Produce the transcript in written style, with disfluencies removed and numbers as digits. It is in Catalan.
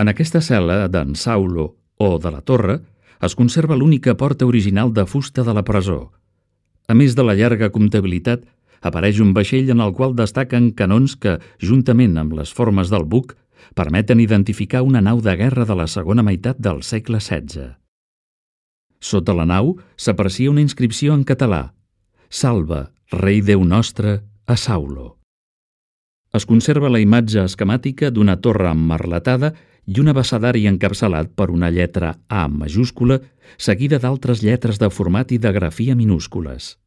En aquesta cel·la d'en Saulo o de la Torre es conserva l'única porta original de fusta de la presó. A més de la llarga comptabilitat, apareix un vaixell en el qual destaquen canons que, juntament amb les formes del buc, permeten identificar una nau de guerra de la segona meitat del segle XVI. Sota la nau s'aprecia una inscripció en català: «Salve, rei Déu nostre, a Saulo». Es conserva la imatge esquemàtica d'una torre emmerletada i un abecedari encapçalat per una lletra A majúscula seguida d'altres lletres de format i de grafia minúscules.